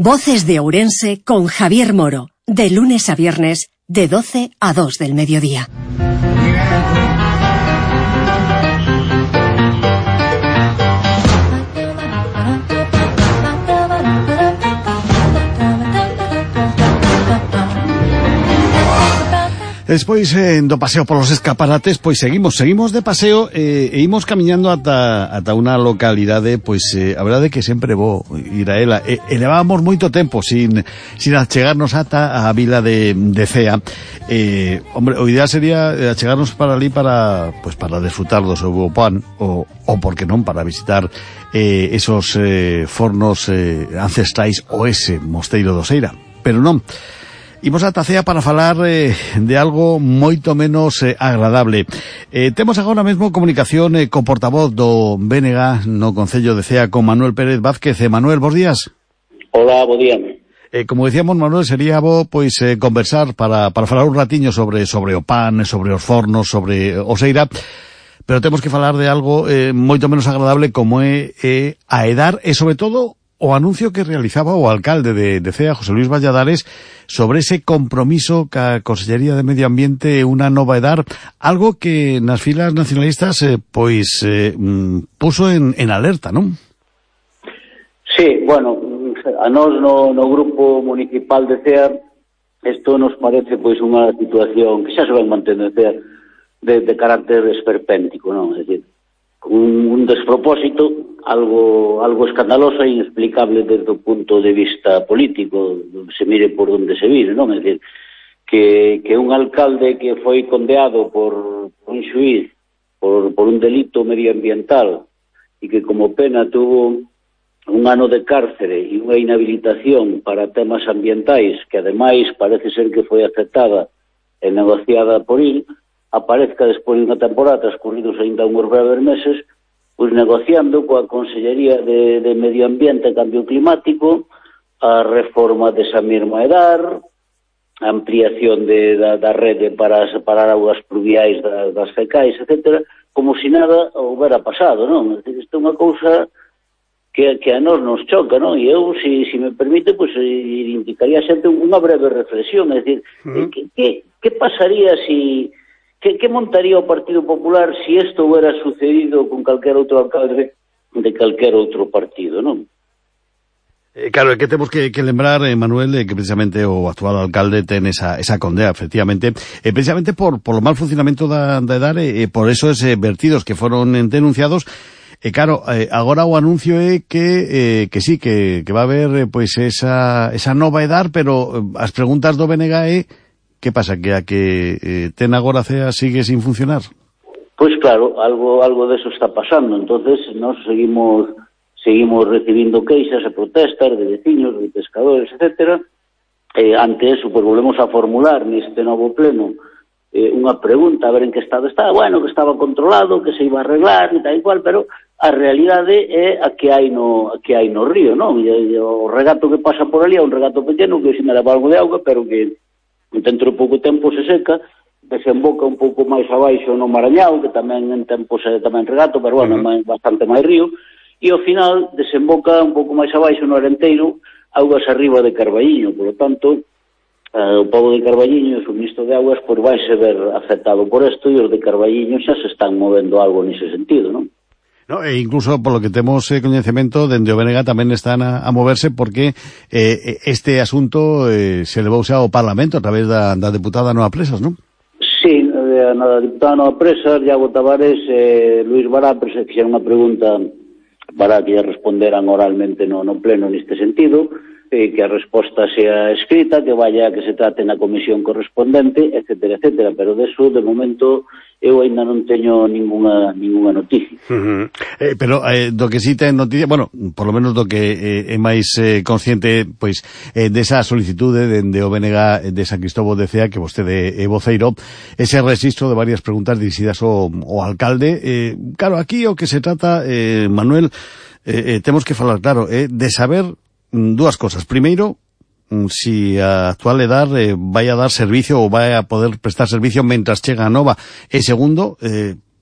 Voces de Ourense con Javier Moro, de lunes a viernes, de 12 a 2 del mediodía. Despois do paseo polos escaparates, pois seguimos de paseo e imos camiñando ata unha localidade, pois a verdade é que sempre vou ir a ela e levábamos moito tempo sin achegarnos ata a vila de Cea. Hombre, o ideal sería achegarnos para ali para desfrutar do seu pan ou por que non, para visitar esos fornos ancestrais ou ese mosteiro do Seira, pero non. Imos ata Cea para falar de algo moito menos agradable. Temos agora mesmo comunicación co portavoz do BNG no Concello de Cea, con Manuel Pérez Vázquez. Manuel, bos días. Hola, bo día. Como decíamos, Manuel, sería bo conversar para falar un ratiño sobre o pan, sobre os fornos, sobre o Seira, pero temos que falar de algo moito menos agradable como é a EDAR e, sobre todo, o anuncio que realizaba o alcalde de Cea, José Luis Valladares, sobre ese compromiso ca Consellería de Medio Ambiente, unha nova EDAR, algo que nas filas nacionalistas puso en alerta, non? Sí, bueno, a nós no grupo municipal de Cea isto nos parece unha situación que xa se vai mantendo en Cea de carácter esperpéntico, non? É dicir, un despropósito, algo escandaloso e inexplicable desde o punto de vista político, se mire por onde se mire, non? É dicir, que un alcalde que foi condeado por un xuíz por un delito medioambiental e que como pena tuvo un ano de cárcere e unha inhabilitación para temas ambientais, que ademais parece ser que foi aceptada e negociada por il, aparezca despois de unha temporada, transcurridos ainda uns breves meses, pois negociando coa Consellería de Medio Ambiente e Cambio Climático a reforma desa mesma EDAR, a ampliación da rede para separar augas pluviais das fecais, etc., como se nada houbera pasado, non? Isto é unha cousa que a nós nos choca, non? E eu, se me permite, indicaría xente unha breve reflexión, é dicir, que pasaría se... ¿Qué montaría o Partido Popular si esto hubiera sucedido con calquer outro alcalde de calquer outro partido, non? Claro, é que temos que lembrar, Manuel, que precisamente o actual alcalde ten esa condea, efectivamente, precisamente por o mal funcionamento da EDAR e por esos vertidos que foron denunciados. E claro, agora o anuncio é que sí, que va a haber esa nova EDAR, pero as preguntas do BNG é que pasa, que a que ten agora Cea sigue sin funcionar? Pois claro, algo deso está pasando. Entonces nós seguimos recibindo queixas e protestas de veciños, de pescadores, etcétera. Ante eso, volvemos a formular neste novo pleno unha pregunta, a ver en que estado está. Bueno, que estaba controlado, que se iba a arreglar e tal e cual, pero a realidade é a que hai no río, non? E o regato que pasa por ali é un regato pequeno que se me leva algo de auga, pero que dentro de pouco tempo se seca, desemboca un pouco máis abaixo no Marañao, que tamén en tempo se tamén regato, pero bueno, bastante máis río, e ao final desemboca un pouco máis abaixo no Arenteiro, augas arriba de Carballiño. Por lo tanto, o pobo de Carballiño, o suministro de augas, pois vai se ver afectado por isto, e os de Carballiño xa se están movendo algo nese sentido, non? No, e incluso polo que temos coñecemento, dende o BNG tamén están a moverse porque este asunto se levouse ao Parlamento a través da deputada Noa Presas, non? Sí, na diputada Noa Presas, Iago Tavares e Luís Bará fixeron unha pregunta para que lle responderan oralmente no pleno neste sentido, que a resposta sea escrita, que vaya, que se trate na comisión correspondente, etcétera, etcétera, pero deso, de momento, eu ainda non teño ninguna noticia. Pero do que sí ten noticia, bueno, por lo menos do que é máis consciente, pois, desa solicitude dende o BNG de San Cristóbal de Cea, que vostede é voceiro, ese registro de varias preguntas dirixidas ao alcalde. Claro, aquí o que se trata, Manuel, temos que falar claro, de saber dúas cosas. Primeiro, si a actual EDAR vai a dar servicio ou vai a poder prestar servicio mentras chega a nova. E segundo,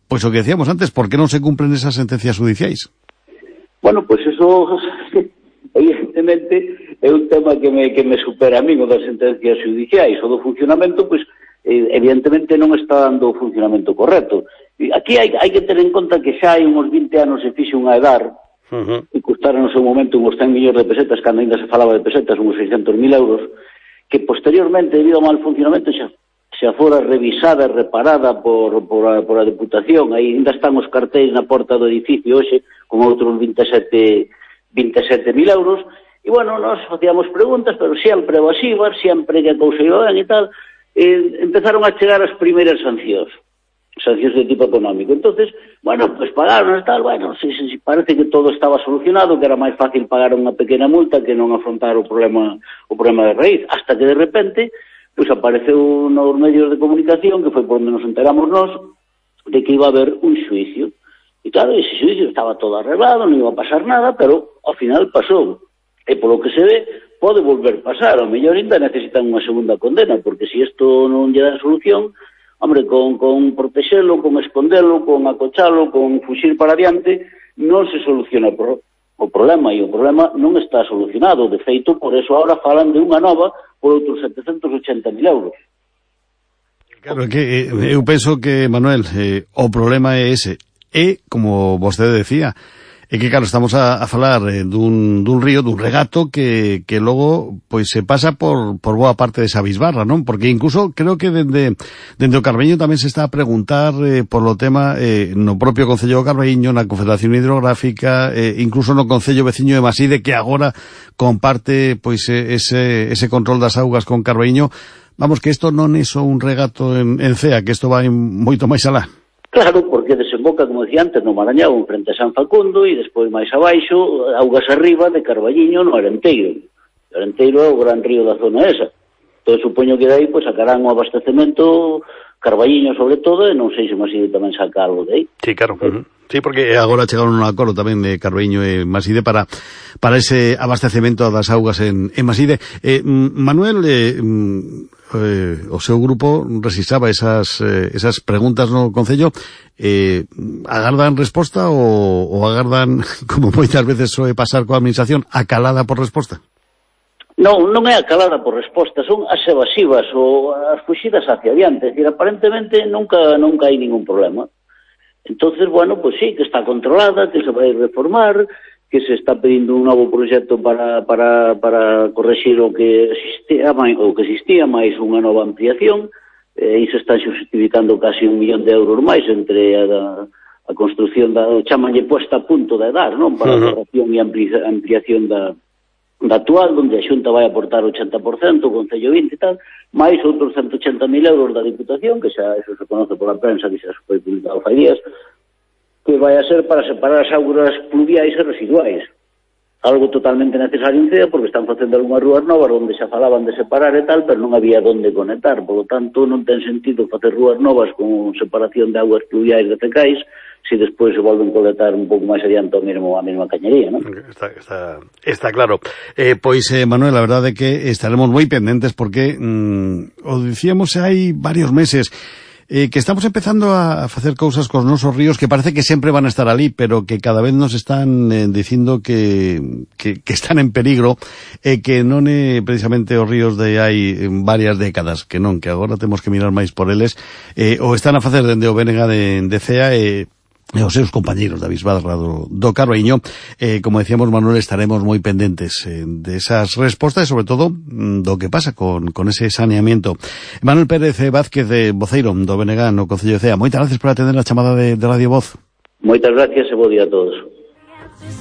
pois o que decíamos antes, por que non se cumplen esas sentencias judiciais? Bueno, pois eso, evidentemente, eu un tema que me supera a mí, o das sentencias judiciais, o do funcionamento, pois, evidentemente non está dando o funcionamento correcto. Aquí hai que ter en conta que xa hai uns 20 anos se fixe unha EDAR, que custaron no seu momento uns 100 millóns de pesetas, cando ainda se falaba de pesetas, uns 600.000 euros, que posteriormente, debido ao mal funcionamento, xa fora revisada e reparada por a Deputación. Aí ainda están os cartéis na porta do edificio hoxe, con outros 27.000 euros, e, bueno, nós facíamos preguntas, pero sempre evasivas, sempre que a cousa iba ben e tal, empezaron a chegar as primeiras sancións de tipo económico. Entonces, bueno, pues pagaron e tal, bueno, si parece que todo estaba solucionado, que era máis fácil pagar unha pequena multa que non afrontar o problema de raíz, hasta que de repente pois apareceu nos medios de comunicación, que foi por onde nos enteramos nós, de que iba a haber un xuicio. E claro, ese xuicio estaba todo arreglado, non iba a pasar nada, pero ao final pasou. E polo que se ve, pode volver pasar. Ao mellor ainda necesitan unha segunda condena, porque se isto non lle dá solución, hombre, con protexelo, con escondelo, con acochalo, con fuxir para adiante, non se soluciona o problema, e o problema non está solucionado. De feito, por eso ahora falan de unha nova por outros 780.000 euros. Claro, que eu penso que, Manuel, o problema é ese. E, como vostede decía, é que, claro, estamos a falar dun río, dun regato que logo pois se pasa por boa parte desa bisbarra, non? Porque incluso creo que dende o Carballiño tamén se está a preguntar por lo tema no propio Concello do Carballiño, na Confederación Hidrográfica, incluso no Concello veciño de Maside, que agora comparte pois ese control das augas con Carballiño. Vamos, que isto non é só un regato en Cea, que isto vai moito máis alá. Claro, porque desemboca, como decía antes, no Marañao, en frente a San Facundo, e despois máis abaixo, augas arriba de Carballiño no Arenteiro. O Arenteiro é o gran río da zona esa. Entón, supoño que dai, pois, sacarán o abastecemento Carballiño, sobre todo, e non sei se Maside tamén saca algo de aí. Sí, claro. Sí, porque agora chegaron un acordo tamén de Carballiño e Maside para ese abastecemento das augas en Maside. Manuel, o seu grupo registraba esas preguntas no Concello. Agardan resposta ou agardan, como moitas veces soe pasar coa administración, acalada por resposta? Non é acalada por resposta, son as evasivas ou as fuxidas hacia adiante. Es decir, aparentemente nunca hai ningún problema. Entonces, bueno, pues sí, que está controlada, que se vai reformar, que se está pedindo un novo proxecto para correxir o que existía máis unha nova ampliación, e se están justificando casi 1 millón de euros máis entre a construción chamanlle puesta a punto da EDAR, non? Para a corrección e ampliación da actual, onde a Xunta vai aportar 80%, o Concello 20 e tal, máis outros 180.000 euros da Diputación, que xa eso se conoce pola prensa, que xa se foi publicado fai días, que vai a ser para separar as augas pluviais e residuais. Algo totalmente necesario en Cea, porque están facendo algunhas rúas novas onde xa falaban de separar e tal, pero non había donde conectar. Por lo tanto, non ten sentido facer rúas novas con separación de augas pluviais de cecais, se despois se volven colectar un pouco máis adiante a mesma cañería, non? Está claro. Pois, Manuel, a verdade é que estaremos moi pendentes porque, o dicíamos hai varios meses, que estamos empezando a facer cousas cos nosos ríos que parece que sempre van a estar ali, pero que cada vez nos están dicindo que están en peligro, e que non é precisamente os ríos de hai varias décadas, que non, que agora temos que mirar máis por eles, o están a facer dende o BNG de Cea e os seus compañeiros da bisbarra do Carballiño. Como decíamos, Manuel, estaremos moi pendentes de esas respostas e, sobre todo, do que pasa con ese saneamiento. Manuel Pérez Vázquez, voceiro do BNG no Concello de Cea, moitas gracias por atender a chamada de Radio Voz. Moitas gracias e bo día a todos.